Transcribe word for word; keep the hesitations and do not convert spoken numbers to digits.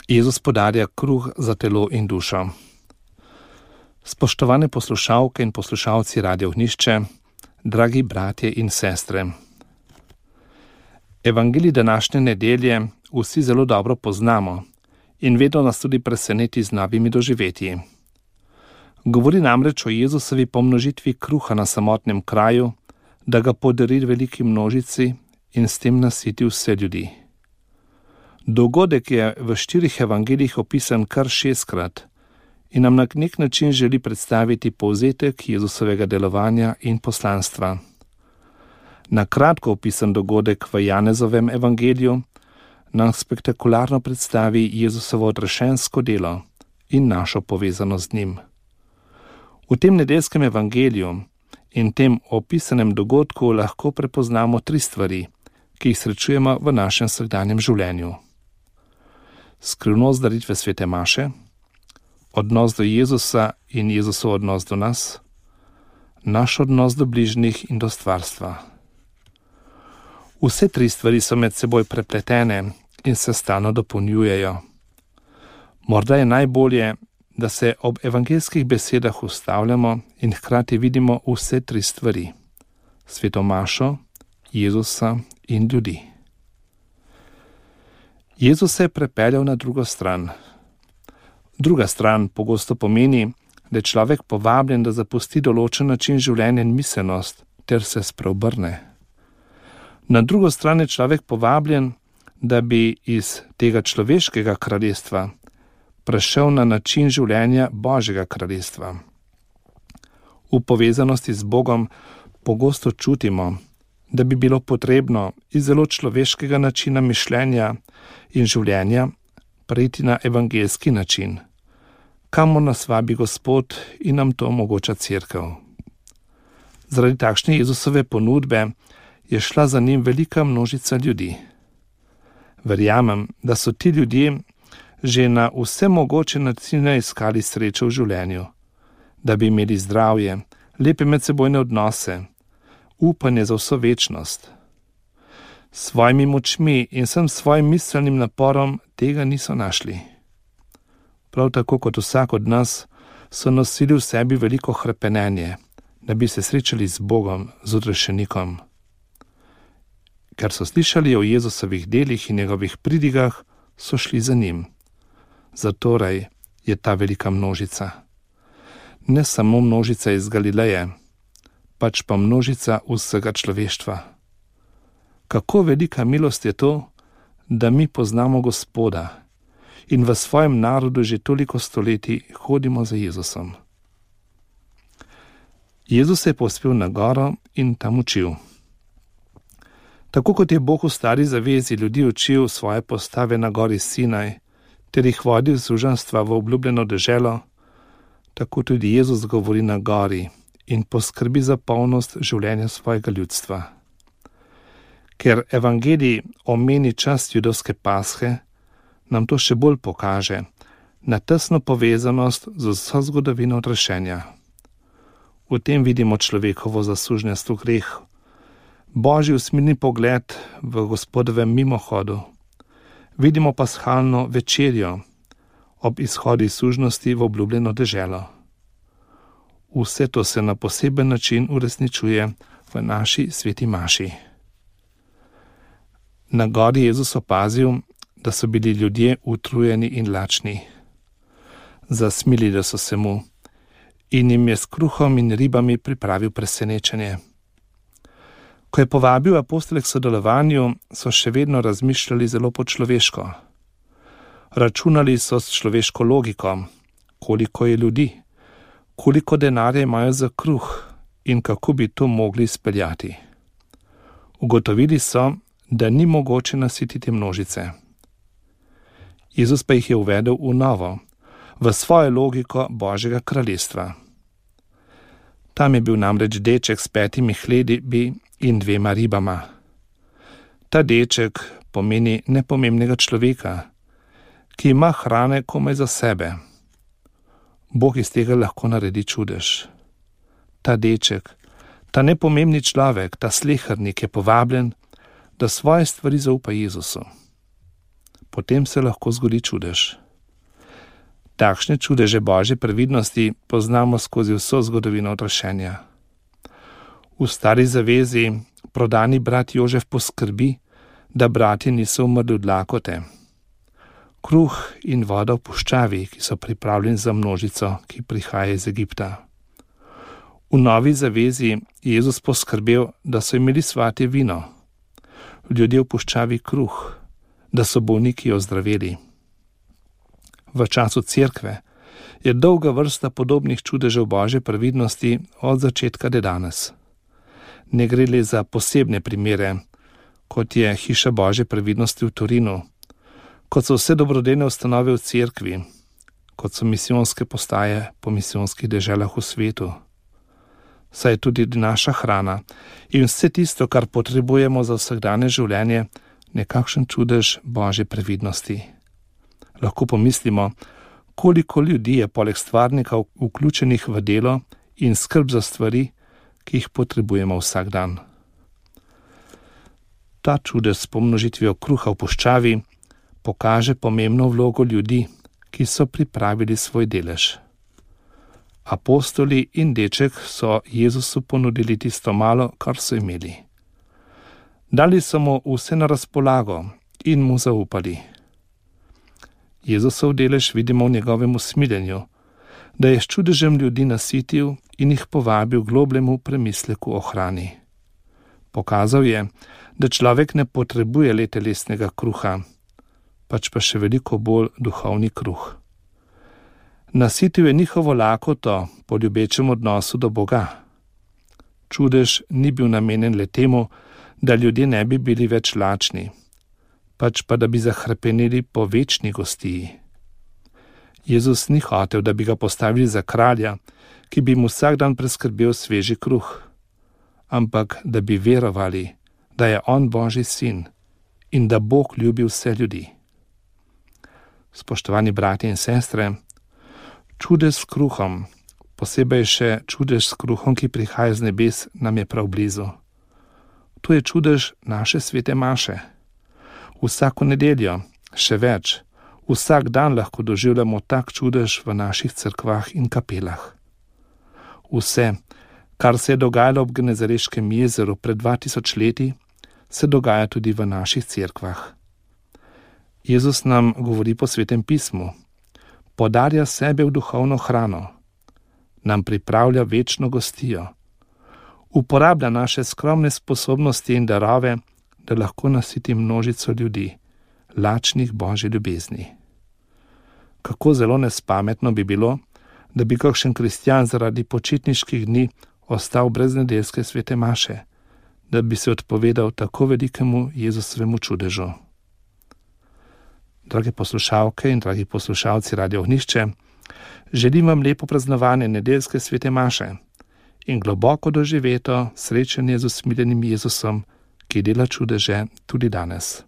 Jezus podarja kruh za telo in dušo. Spoštovane poslušalke in poslušalci Radio Ognjišče, dragi bratje in sestre. Evangelij današnje nedelje vsi zelo dobro poznamo in vedno nas tudi preseneti z novimi doživetji. Govori namreč o Jezusovi pomnožitvi kruha na samotnem kraju, da ga podari veliki množici in s tem nasiti vse ljudi. Dogodek je v štirih evangelijih opisan kar šestkrat in nam na nek način želi predstaviti povzetek Jezusovega delovanja in poslanstva. Na kratko opisan dogodek v Janezovem evangeliju nam spektakularno predstavi Jezusovo odrešensko delo in našo povezanost z njim. V tem nedeljskem evangeliju in tem opisanem dogodku lahko prepoznamo tri stvari, ki jih srečujemo v našem vsakdanjem življenju. Skrivnost daritve svete maše, odnos do Jezusa in Jezusov odnos do nas, naš odnos do bližnjih in do stvarstva. Vse tri stvari so med seboj prepletene in se stalno dopolnjujejo. Morda je najbolje, da se ob evangeljskih besedah ustavljamo in hkrati vidimo vse tri stvari: sveto mašo, Jezusa in ljudi. Jezus se je prepeljal na drugo stran. Druga stran pogosto pomeni, da je človek povabljen, da zapusti določen način življenja in miselnost ter se spreobrne. Na drugo stran je človek povabljen, da bi iz tega človeškega kraljestva prešel na način življenja Božjega kraljestva. V povezanosti z Bogom pogosto čutimo, da bi bilo potrebno iz zelo človeškega načina mišljenja in življenja preiti na evangeljski način, kamor nas vabi Gospod in nam to omogoča Cerkev. Zaradi takšne Jezusove ponudbe je šla za njim velika množica ljudi. Verjamem, da so ti ljudje že na vse mogoče načine iskali srečo v življenju, da bi imeli zdravje, lepe medsebojne odnose, upanje za vso večnost. S svojimi močmi in vsem svojim miselnim naporom tega niso našli. Prav tako kot vsak od nas so nosili v sebi veliko hrepenenje, da bi se srečali z Bogom, z odrešenikom. Ker so slišali o Jezusovih delih in njegovih pridigah, so šli za njim. Zatorej je ta velika množica. Ne samo množica iz Galileje, pač pa množica vsega človeštva. Kako velika milost je to, da mi poznamo Gospoda in v svojem narodu že toliko stoletij hodimo za Jezusom. Jezus se je povzpel na goro in tam učil. Tako kot je Bog v stari zavezi ljudi učil svoje postave na gori Sinaj, ter jih vodil z suženjstva v obljubljeno deželo, tako tudi Jezus govori na gori in poskrbi za polnost življenja svojega ljudstva. Ker evangelij omeni čas judovske pashe, nam to še bolj pokaže na tesno povezanost z vso zgodovino odrešenja. V tem vidimo človekovo zasužnjestvo greh, Božji usmirni pogled v Gospodovem mimohodu, vidimo pashalno večerjo ob izhodu iz sužnosti v obljubljeno deželo. Vse to se na poseben način uresničuje v naši sveti maši. Na gori Jezus opazil, da so bili ljudje utrujeni in lačni. Zasmilili so se mu in jim je s kruhom in ribami pripravil presenečenje. Ko je povabil apostole k sodelovanju, so še vedno razmišljali zelo po človeško. Računali so s človeško logiko, koliko je ljudi, koliko denarja imajo za kruh in kako bi to mogli izpeljati. Ugotovili so, da ni mogoče nasititi množice. Jezus pa jih je uvedel v novo, v svojo logiko Božjega kraljestva. Tam je bil namreč deček s petimi hlebi in dvema ribama. Ta deček pomeni nepomembnega človeka, ki ima hrane komaj za sebe. Bog iz tega lahko naredi čudež. Ta deček, ta nepomembni človek, ta slehernik je povabljen, da svoje stvari zaupa Jezusu. potem se lahko zgodi čudež. Takšne čudeže Božje previdnosti poznamo skozi vso zgodovino odrešenja. V Stari zavezi prodani brat Jožef poskrbi, da bratje niso umrli od lakote. Kruh in voda v puščavi, ki so pripravljeni za množico, ki prihaja iz Egipta. V Novi zavezi je Jezus poskrbel, da so imeli svatje vino, ljudje v puščavi kruh, da so bolniki ozdraveli. V času cerkve je dolga vrsta podobnih čudežev Božje previdnosti od začetka do danes. Ne gre le za posebne primere, kot je hiša Božje previdnosti v Torinu, kot so vse dobrodejne ustanove v cerkvi, kot so misijonske postaje po misijonskih deželah v svetu. Saj je tudi naša hrana in vse tisto, kar potrebujemo za vsakdanje življenje, nekakšen čudež Božje previdnosti. Lahko pomislimo, koliko ljudi je poleg stvarnikov vključenih v delo in skrb za stvari, ki jih potrebujemo vsak dan. Ta čudež s pomnožitvijo kruha v puščavi pokaže pomembno vlogo ljudi, ki so pripravili svoj delež. Apostoli in deček so Jezusu ponudili tisto malo, kar so imeli. Dali so mu vse na razpolago in mu zaupali. Jezusov delež vidimo v njegovem usmiljenju, da je s čudežem ljudi nasitil in jih povabil globljemu premisleku o hrani. Pokazal je, da človek ne potrebuje le telesnega kruha, pač pa še veliko bolj duhovni kruh. Nasitil je njihovo lakoto po ljubečem odnosu do Boga. Čudež ni bil namenjen le temu, da ljudje ne bi bili več lačni, pač pa da bi zahrepenili po večni gostiji. Jezus ni hotel, da bi ga postavili za kralja, ki bi mu vsak dan preskrbel sveži kruh, ampak da bi verovali, da je on Božji sin in da Bog ljubi vse ljudi. Spoštovani bratje in sestre, čudež s kruhom, posebej še čudež s kruhom, ki prihaja z nebes, nam je prav blizu. To je čudež naše svete maše. Vsako nedeljo, še več, vsak dan lahko doživljamo tak čudež v naših cerkvah in kapelah. Vse, kar se je dogajalo ob Genezareškem jezeru pred dva tisoč leti, se dogaja tudi v naših cerkvah. Jezus nam govori po Svetem pismu, podarja sebe v duhovno hrano, nam pripravlja večno gostijo, uporablja naše skromne sposobnosti in darove, da lahko nasiti množico ljudi, lačnih Božje ljubezni. Kako zelo nespametno bi bilo, da bi kakšen kristjan zaradi počitniških dni ostal brez nedeljske svete maše, da bi se odpovedal tako velikemu Jezusovemu čudežu. Drage poslušalke in dragi poslušalci Radio Ognjišče, želim vam lepo praznovanje nedeljske svete maše in globoko doživeto srečanje z usmiljenim Jezusom, ki dela čudeže tudi danes.